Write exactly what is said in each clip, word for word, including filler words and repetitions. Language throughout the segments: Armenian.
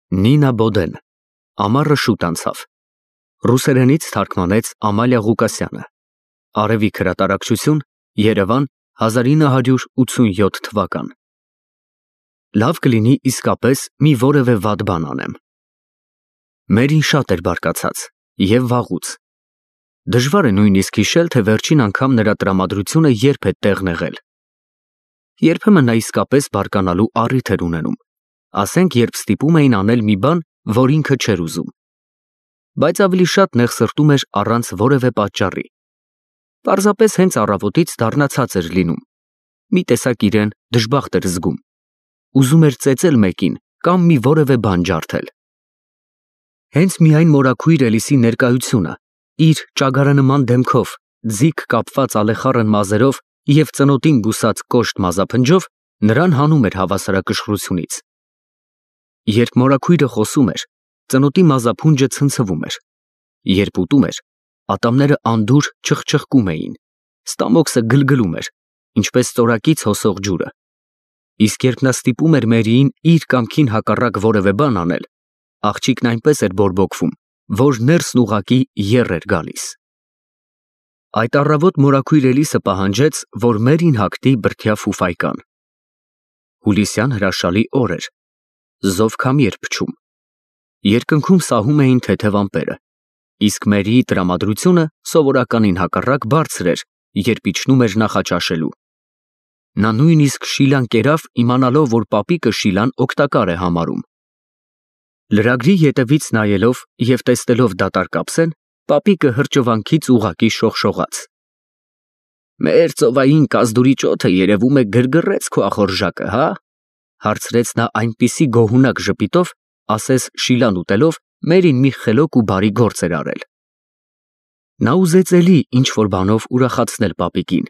Նինա Բոդեն, ամառը շուտ անցավ։ Ռուսերենից թարգմանեց Ամալիա Ղուկասյանը։ Արևիկ հրատարակչություն, Երևան, հազար ինը հարյուր ութսունյոթ թվական։ Լավ կլինի իսկապես մի որևէ վատ բան անեմ։ Մերին շատ էր բարկացած և վաղուց։ Դժվար է նույնիսկ հիշել, թե վերջին անգամ նրա տրամադրությունը երբ է տեղն եղել։ Երբեմն նա իսկապես բարկանալու առիթ էր ունենում, ասենք երբ ստիպում էին անել մի բան, որ ինքը չէր ուզում։ Բայց ավելի շատ նեղսրտում էր առանց որևէ պատճառի։ Պարզապես հենց առավոտից դառնացած էր լինում։ Մի տեսակ իրեն դժբախտ էր զգում։ Ուզում էր ծեծել մեկին կամ մի որևէ բան ջարդել։ Հենց միայն մորաքույր Էլիսի ներկայությունը, իր ճագարանման դեմքով, ձիգ կապված ալեխառն մազերով և ծնոտին բուսած կոշտ մազափնջով նրան հանում էր հավասարակշռությունից։ Երբ մորաքույրը խոսում էր, ծնոտի մազափունջը ցնցվում էր, երբ ուտում էր, ատամները անդուր չխչխկում էին, ստամոքսը գլգլում էր, ինչպես ծորակից հոսող ջուրը, իսկ երբ նա ստիպում էր Մերիին իր կամքին հակառակ որևէ բան անել, աղջիկն այնպես էր բորբոքվում, որ ներսն ուղղակի եռ էր գալիս։ Այդ առավոտ մորաքույր Էլիսը պահանջեց, որ Մերին հագնի բրդյա ֆուֆայկան։ Հուլիսյան հրաշալի օր էր, զով քամի էր փչում, երկնքում սահում էին թեթև ամպերը, իսկ Մերիի տրամադրությունը սովորականին հակառակ բարձր էր, երբ իջնում էր նախաճաշելու։ Նա նույնիսկ շիլան կերավ, իմանալով, որ պապիկը շիլան օգտակար է համարում։ Լրագրի ետևից նայելով և տեսնելով դատարկ ափսեն, պապիկը հրճվանքից ուղղակի շողշողաց։ «Մեր ծովային կազդուրի ճոթը երևում է գրգռեց քո ախորժակը, հա՞, հարցրեց նա այնպիսի գոհունակ ժպիտով, ասես շիլան ուտելով Մերին մի խելոք ու բարի գործ էր արել։ Նա ուզեց էլի ինչ-որ բանով ուրախացնել պապիկին,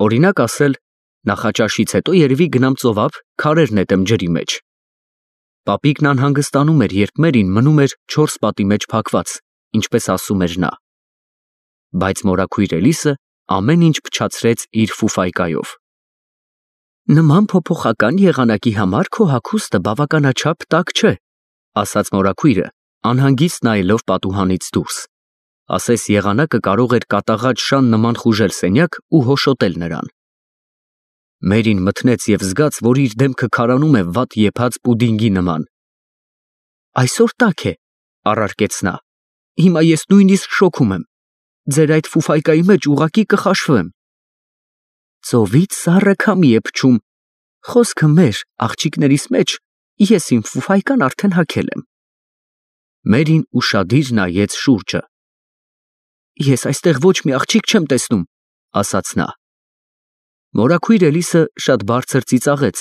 օրինակ ասել. «Նախաճաշից հետո երևի գնամ ծովափ, քարեր նետեմ ջրի մեջ»։ Պապիկն անհանգստանում էր, երբ Մերին մնում էր չորս պատի մեջ փակված, ինչպես ասում էր նա։ Բայց մորաքույր Էլիսը ամեն ինչ փչացրեց իր ֆուֆայկայով։ «Նման փոփոխական եղանակի համար քո հագուստը բավականաչափ տաք չէ», ասաց մորաքույրը, անհանգիստ նայելով պատուհանից դուրս, ասես եղանակը կարող էր կատաղած շան նման խուժել սենյակ ու հոշոտել նրան։ Մերին մթնեց և զգաց, որ իր դեմքը քարանում է վատ եփած պուդինգի նման։ «Այսօր տաք է», առարկեց նա, «հիմա ես նույնիսկ շոքում եմ, ձեր այդ ֆուֆայկայի մեջ ուղղակի կխաշվեմ»։ «Ծովից սառը քամի է փչում, խոսքը մեր, աղջիկներիս մեջ, ես իմ ֆուֆայկան արդեն հագել եմ»։ Մերին ուշադիր նայեց շուրջը։ «Ես այստեղ ոչ մի աղջիկ չեմ տեսնում», ասաց նա։ Մորաքույր Էլիսը շատ բարձր ծիծաղեց,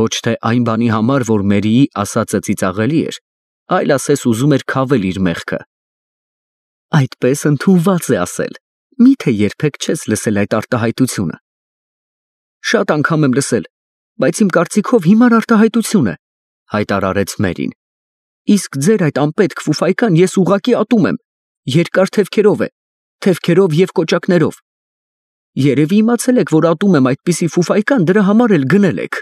ոչ թե այն բանի համար, որ Մերիի ասածը ծիծաղելի էր, այլ ասես ուզում էր քավել իր մեղքը։ «Այդպես ընդունված է ասել, մի՞թե երբեք չես լսել այդ արտահայտությունը»։ «Շատ անգամ եմ լսել, բայց իմ կարծիքով հիմար արտահայտություն է», հայտարարեց Մերին։ «Իսկ ձեր այդ անպետք ֆուֆայկան ես ուղղակի ատում եմ, երկար թևքերով է, թևքերով և կոճակներով։ Երևի իմացել եք, որ ատում եմ այդպիսի ֆուֆայկան, դրա համար էլ գնել եք»։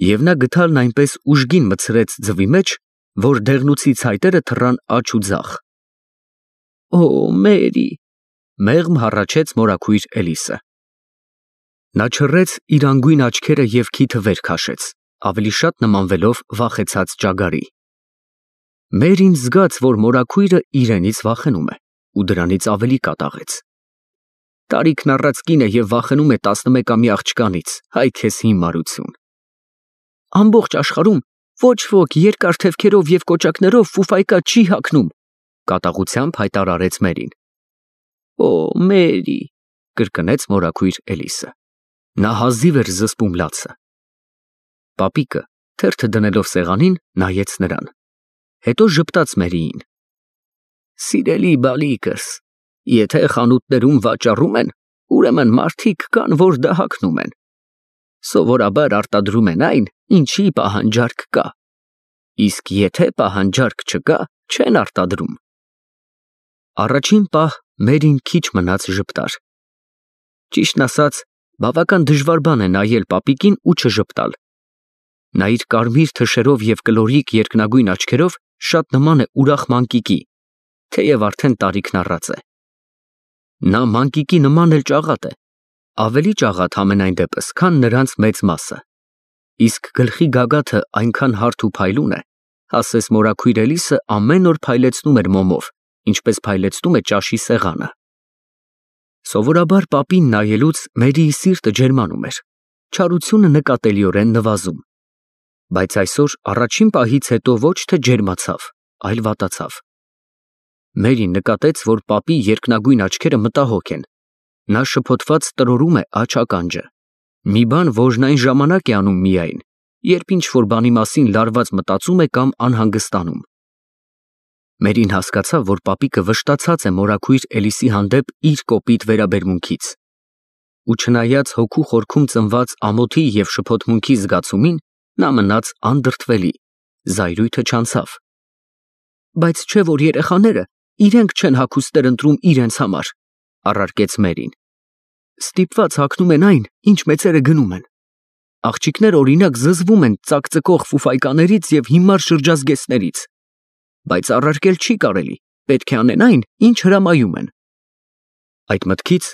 Եվ նա գդալն այնպես ուժգին մտցրեց ձվի մեջ, որ դեղնուցի ցայտերը թռան աջ ու ձախ։ «Օ, Մերի», մեղմ հառաչեց մորաքույր Էլիսը։ Նա չռեց իր անգույն աչքերը և քիթը վեր քաշեց, ավելի շատ նմանվելով վախեցած ճագարի։ Մերին զգաց, որ մորաքույրը իրենից վախենում է, ու դրանից ավելի կատաղեց։ Տարիքն առած կին է և վախենում է տասնմեկամյա աղջկանից, հայ քեզ հիմարություն։ «Ամբողջ աշխարհում ոչ ոք երկար թևքերով և կոճակներով ֆուֆայկա չի հագնում», կատաղությամբ հայտարարեց Մերին։ «Օ, Մերի», կրկնեց մորաքույր Էլիսը։ Նա հազիվ էր զսպում լացը։ Պապիկը, թերթը դնելով սեղանին, նայեց նրան, հետո ժպտաց Մերիին։ «Սիրելի բալիկս, եթե խանութներում վաճառում են, ուրեմն մարդիկ կան, որ դա հագնում են։ Սովորաբար արտադրում են այն, ինչի պահանջարկ կա, իսկ եթե պահանջարկ չկա, չեն արտադրում»։ Առաջին պահ Մերին քիչ մնաց ժպտար։ Ճիշտն ասած, բավական դժվար բան է նայել պապիկին ու չժպտալ։ Նա իր կարմիր թշերով և կլորիկ երկնագույն աչքերով շատ նման է ուրախ մանկիկի, թեև արդեն տարիքն առած է։ Նա մանկիկի նման էլ ճաղատ է, ավելի ճաղատ համենայն դեպս, քան նրանց մեծ մասը, իսկ գլխի գագաթը այնքան հարթ ու փայլուն է, ասես մորաքույր Էլիսը ամեն օր փայլեցնում էր մոմով, ինչպես փայլեցնում է ճաշի սեղանը։ Սովորաբար պապին նայելուց Մերիի սիրտը ջերմանում էր, չարությունը նկատելիորեն նվազում, բայց այսօր առաջին պահից հետո ոչ թե ջերմացավ, այլ վատացավ։ Մերին նկատեց, որ պապի երկնագույն աչքերը մտահոգ են, նա շփոթված տրորում է աջ ականջը, մի բան, որն այն ժամանակ է անում միայն, երբ ինչ-որ բանի մասին լարված մտածում է կամ անհանգստանում։ Մերին հասկացավ, որ պապիկը վշտացած է մորաքույր Էլիսի հանդեպ իր կոպիտ վերաբերմունքից, ու չնայած հոգու խորքում ծնված ամոթի և շփոթմունքի զգացումին, նա մնաց անդրդվելի, զայրույթը չանցավ։ Բայց չէ՞ որ երեխաները իրենք չեն հագուստներ ընտրում իրենց համար, առարկեց Մերին։ Ստիպված հագնում են այն, ինչ մեծերը գնում են։ Աղջիկներ օրինակ զզվում են ծակծկող ֆուֆայկաներից և հիմար շրջազգեստներից, բայց առարկել չի կարելի, պետք է անեն այն, ինչ հրամայում են։ Այդ մտքից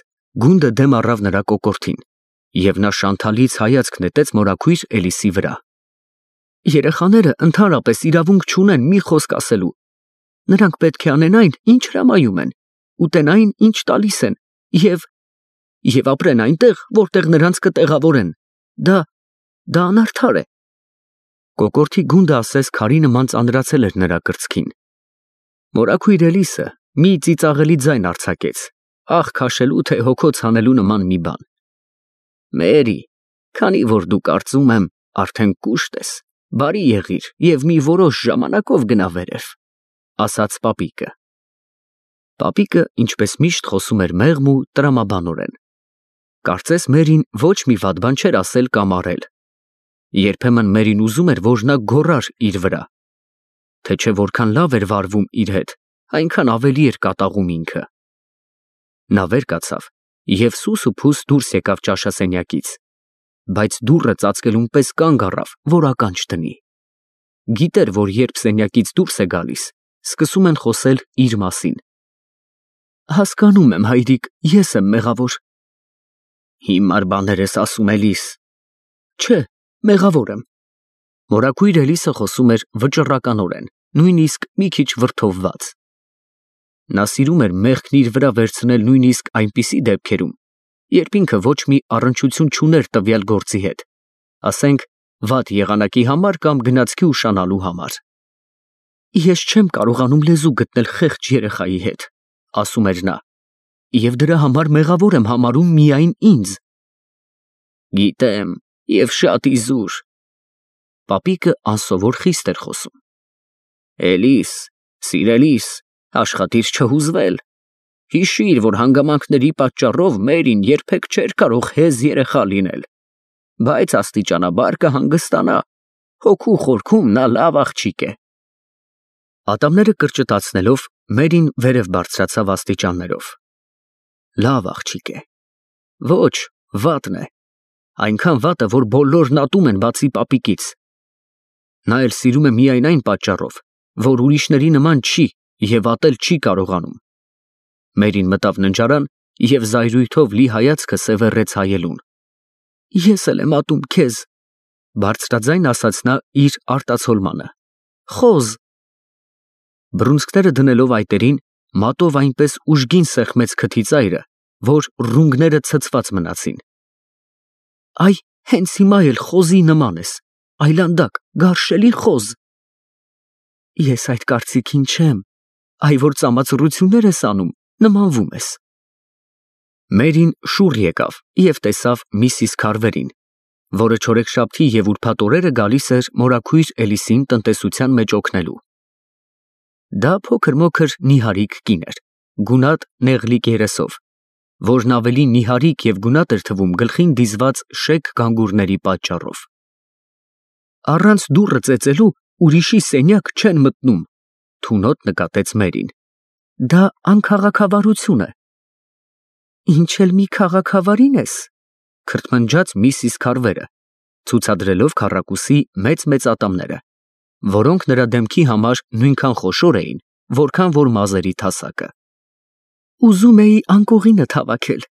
գունդը դեմ առավ նրա կոկորդին, և նա շանթալից հայացք նետեց մորաքույր Էլիսի վրա։ Երեխաները ընդհանրապես իրավունք չունեն մի խոսք ասելու։ Նրանք պետք է անեն այն, ինչ հրամայում են, ուտեն այն, ինչ տալիս են, և և ապրեն այնտեղ, որտեղ նրանց կտեղավորեն։ Դա դա անարդար է։ Կոկորդի գունդը ասես քարի նման ծանրացել էր նրա կրծքին։ Մորաքույր Էլիսը մի ծիծաղելի ձայն արձակեց, աղ քաշելու թե հոգոց հանելու նման մի բան։ Մերի, քանի որ դու կարծում եմ արդեն կուշտ ես, բարի եղիր և մի որոշ ժամանակով գնա վերև, ասաց պապիկը։ Պապիկը, ինչպես միշտ, խոսում էր մեղմ ու տրամաբանորեն։ Կարծես Մերին ոչ մի վատ բան չէր ասել կամ արել։ Երբեմն Մերին ուզում էր, որ նա գոռար իր վրա, թե չէ որքան լավ էր վարվում իր հետ, այնքան ավելի էր կատաղում ինքը։ Նա վեր կացավ և սուս ու փուս դուրս եկավ ճաշասենյակից, բայց դուռը ծածկելուն պես կանգ առավ, որ ականջ դնի։ Գիտեր, որ երբ սենյակից դուրս է գալիս, սկսում են խոսել իր մասին։ Հասկանում եմ, հայրիկ, ես եմ մեղավոր։ Հիմար բաներ ես ասում Էլիս։ Չէ, մեղավոր եմ։ Մորաքույր Էլիսը խոսում էր վճռականորեն, նույնիսկ մի քիչ վրդովված։ Նա սիրում էր մեղքն իր վրա վերցնել նույնիսկ այնպիսի դեպքերում, երբ ինքը ոչ մի առնչություն չուներ տվյալ գործի հետ, ասենք, վատ եղանակի համար կամ գնացքի ուշանալու համար։ Ես չեմ կարողանում լեզու գտնել խեղճ երեխայի հետ, ասում էր նա, և դրա համար մեղավոր եմ համարում միայն ինձ։ Գիտեմ, և շատ իզուր։ Պապիկը անսովոր խիստ էր խոսում։ Էլիս, սիրելիս, աշխատիր չհուզվել։ Հիշիր, որ հանգամանքների պատճառով Մերին երբեք չէր կարող հեզ երեխա լինել, բայց աստիճանաբար կհանգստանա, հոգու խորքում նա լավ աղջիկ է։ Ատամները կրճտացնելով Մերին վերև բարձրացավ աստիճաններով։ Լավ աղջիկ է։ Ոչ, վատն է։ Այնքան վատը, որ բոլորն ատում են բացի պապիկից։ Նա էլ սիրում է միայն այն պատճառով, որ ուրիշների նման չի և ատել չի կարողանում։ Մերին մտավ ննջարան և զայրույթով լի հայացքը սևեռեց հայելուն։ Ես էլ եմ ատում քեզ, բարձրաձայն ասաց նա իր արտացոլմանը։ Խոզ։ Բռունցքները դնելով այտերին, մատով այնպես ուժգին սեղմեց քթի ծայրը, որ ռունգները ցցված մնացին։ Այ հենց հիմա էլ խոզի նման ես, այլանդակ, գարշելի խոզ։ Ես այդ կարծիքին չեմ, այ որ ծամացռություններ ես անում, նմանվում ես։ Մերին շուռ եկավ և տեսավ միսիս Քարվերին, որը չորեքշաբթի և ուրբաթ օրերը գալիս էր մորաքույր Էլիսին տնտեսության մեջ օգնելու։ Դա փոքր-մոքր նիհարիկ կին էր, գունատ նեղլիկ երեսով, որն ավելի նիհարիկ և գունատ էր թվում գլխին դիզված շեկ գանգուրների պատճառով։ Առանց դուռը ծեծելու ուրիշի սենյակ չեն մտնում, թունոտ նկատեց Մերին։ Դա անքաղաքավարություն է։ Ինչ էլ մի քաղաքավարին ես, քրթմնջաց միսիս Քարվերը, ցուցադրելով քառակուսի մեծ-մեծ ատամները, որոնք նրա դեմքի համար նույնքան խոշոր էին, որքան որ մազերի թասակը։ Ուզում էի անկողինը հավաքել,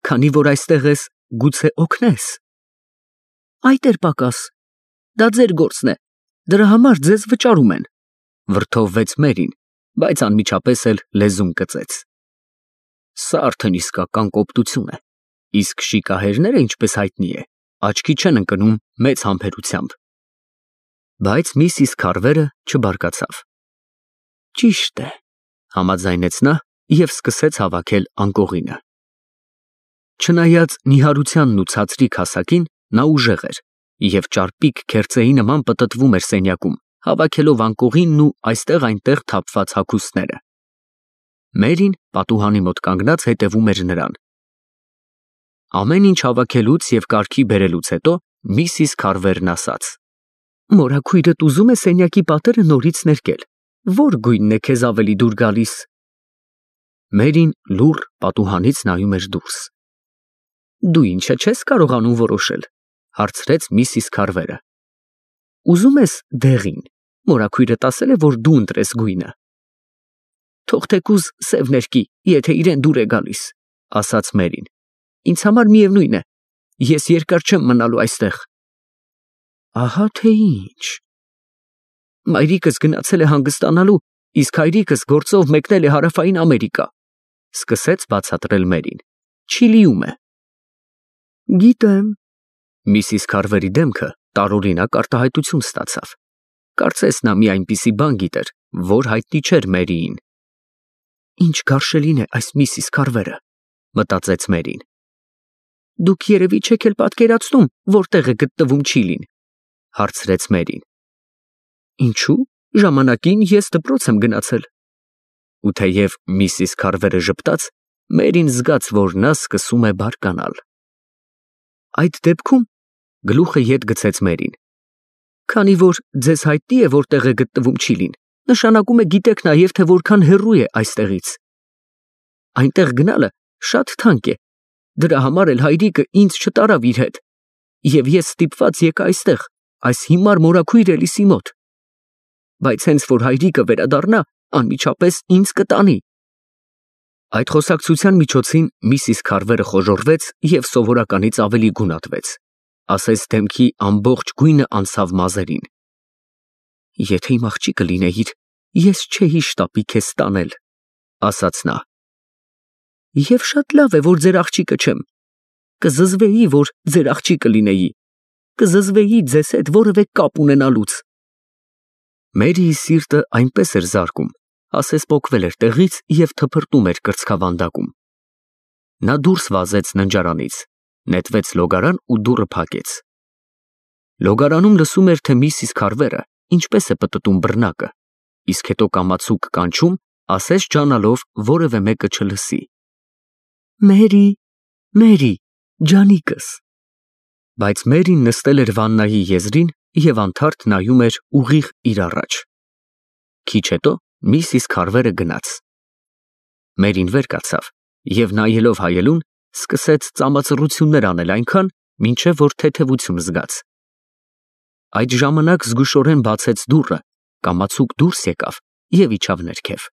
քանի որ այստեղ ես, գուցե օգնես։ Այդ էր պակաս, դա ձեր գործն է, դրա համար ձեզ վճարում են, վրդովվեց Մերին, բայց անմիջապես էլ լեզուն կծեց։ Սա արդեն իսկական կոպտություն է, իսկ շիկահերները, ինչպես հայտնի է, աչքի չեն ընկնում մեծ համբերությամբ։ Բայց միսիս Քարվերը չբարկացավ։ Ճիշտ է, համաձայնեց նա և սկսեց հավաքել անկողինը։ Չնայած նիհարությանն ու ցածրիկ հասակին, նա ուժեղ էր և ճարպիկ քերծեի նման պտտվում էր սենյակում, հավաքելով անկողինն ու այստեղ-այնտեղ թափված հագուստները։ Մերին պատուհանի մոտ կանգնած հետևում էր նրան։ Ամեն ինչ հավաքելուց և կարգի բերելուց հետո միսիս Քարվերն ասաց. Մորաքույրդ ուզում է սենյակի պատերը նորից ներկել, ո՞ր գույնն է քեզ ավելի դուր գալիս։ Մերին լուռ պատուհանից նայում էր դուրս։ Դու ինչը չես կարողանում որոշել, հարցրեց միսիս Քարվերը։ Ուզում ես դեղին, մորաքույրդ ասել է, որ դու ընտրես գույնը։ Թող թեկուզ սև ներկի, եթե իրեն դուր է գալիս, ասաց Մերին։ Ինձ համար միևնույն է, ես երկար չեմ մնալու այստեղ։ Ահա թե ինչ։ Մայրիկս գնացել է հանգստանալու, իսկ հայրիկս գործով մեկնել է Հարավային Ամերիկա, սկսեց բացատրել Մերին։ Չիլիում է։ Գիտեմ։ Միսիս Քարվերի դեմքը տարօրինակ արտահայտություն ստացավ։ Կարծես նա մի այնպիսի բան գիտեր, որ հայտնի չէր Մերիին։ Ինչ գարշելին է այս միսիս Քարվերը, մտածեց Մերին։ Դուք երևի չեք էլ պատկերացնում, որտեղ է գտնվում Չիլին, հարցրեց Մերին։ Ինչու՞, ժամանակին ես դպրոց եմ գնացել։ Ու թեև միսիս Քարվերը ժպտաց, Մերին զգաց, որ նա սկսում է բարկանալ։ Այդ դեպքում գլուխը ետ գցեց Մերին։ Քանի որ ձեզ հայտնի է, որտեղ է գտնվում Չիլին, նշանակում է գիտեք նաև, թե որքան հեռու է այստեղից։ Այնտեղ գնալը շատ թանկ է, դրա համար էլ հայրիկը ինձ չտարավ իր հետ, և ես ստիպված եկա այստեղ, այս հիմար մորաքույր Էլիսի մոտ։ Բայց հենց որ հայրիկը վերադառնա, անմիջապես ինձ կտանի։ Այդ խոսակցության միջոցին միսիս Քարվերը խոժոռվեց և սովորականից ավելի գունատվեց, ասես դեմքի ամբողջ գույնը անցավ մազերին։ Եթե իմ աղջիկը լինեիր, ես չէի շտապի քեզ տանել, ասաց նա։ Եվ շատ լավ է, որ ձեր աղջիկը չեմ։ Կզզվեի, որ ձեր աղջիկը լինեի, կզզվեի ձեզ հետ որևէ կապ ունենալուց։ Մերիի սիրտը այնպես էր զարկում, ասես պոկվել էր տեղից և թփրտում էր կրծքավանդակում։ Նա դուրս վազեց ննջարանից, նետվեց լոգարան ու դուռը փակեց։ Լոգարանում լսում էր, թե միսիս Քարվերը ինչպես է պտտում բռնակը, իսկ հետո կամացուկ կանչում, ասես ջանալով որևէ մեկը չլսի։ Մերի, Մերի, ջանիկս։ Բայց Մերին նստել էր վաննայի եզրին և անթարթ նայում էր ուղիղ իր առաջ։ Քիչ հետո միսիս Քարվերը գնաց։ Մերին վեր կացավ և նայելով հայելուն, սկսեց ծամածռություններ անել այնքան, մինչև որ թեթևություն զգաց։ Այդ ժամանակ զգուշորեն բացեց դուռը, կամացուկ դուրս եկավ և իջավ ներքև։